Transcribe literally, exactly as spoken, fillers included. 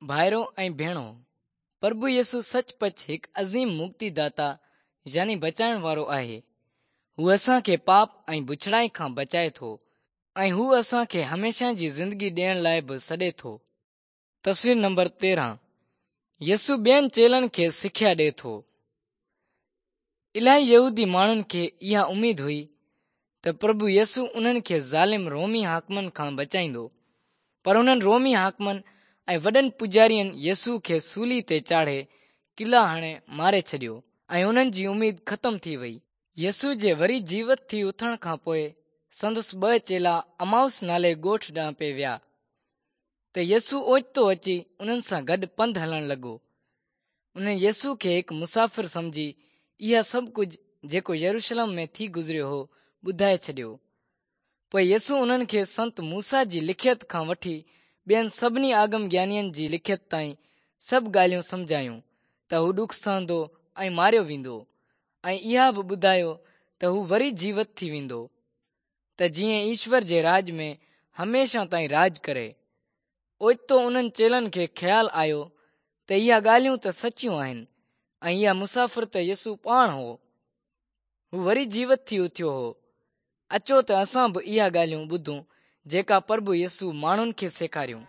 ڀائرو ۽ ڀيڻو، پرڀو يسوع سچ پچ هڪ عظيم مڪتي داتا يعني بچائڻ وارو آهي. هو اسان کي پاپ ۽ بڇڙائي کان بچائي ٿو ۽ هو اسان کي هميشه جي زندگي ڏيڻ لاءِ به سڏي ٿو. تصوير نمبر تيرهن يسوع ٻين چيلن کي سکيا ڏئي ٿو. الاهي يهودي ماڻهن کي اها اميد هئي ته پرڀو يسوع انهن کي ظالم رومي حاڪمن کان بچائيندو، پر انهن رومي حاڪمن ۽ وڏن پوڄارين يسوع کي سولي تي چاڙهي ڪلا هڻي ماري ڇڏيو ۽ انهن جي اميد ختم ٿي وئي. يسوع جي وري جيوت ٿي اٿڻ کان پوءِ سندس ٻه چيلا امائوس نالي ڳوٺ ڏانهن پئي ويا ته يسوع اوچتو اچي انهن سان گڏ پنڌ هلڻ لڳو. انهن يسوع کي هڪ مسافر سمجهي اها سڀ ڪجهه جيڪو يروشلم ۾ ٿي گذريو هو ٻڌائي ڇڏيو. پوءِ يسوع انهن کي سنت موسيٰ جي لکيت کان وٺي ٻين سڀني آگم گيانين جي لکيت تائين سڀ ڳالهيون سمجهايون ته هو ڏک سهندو ۽ ماريو ويندو ۽ اها به ٻڌايو ته هو وري جيوت ٿي ويندو ته جيئن ايشور جي راڄ ۾ هميشه تائين راڄ ڪري. اوچتو انهن چيلن کي خيال آيو ته اها ڳالهيون ته سچيون آهن ۽ اها مسافر ته يسوع پاڻ هو. هو وري جيوت ٿي اٿيو هو. اچو ته اسان به اها ڳالهيون ٻڌون جيڪا پرڀو يسوع ماڻهن کي سيکاريون.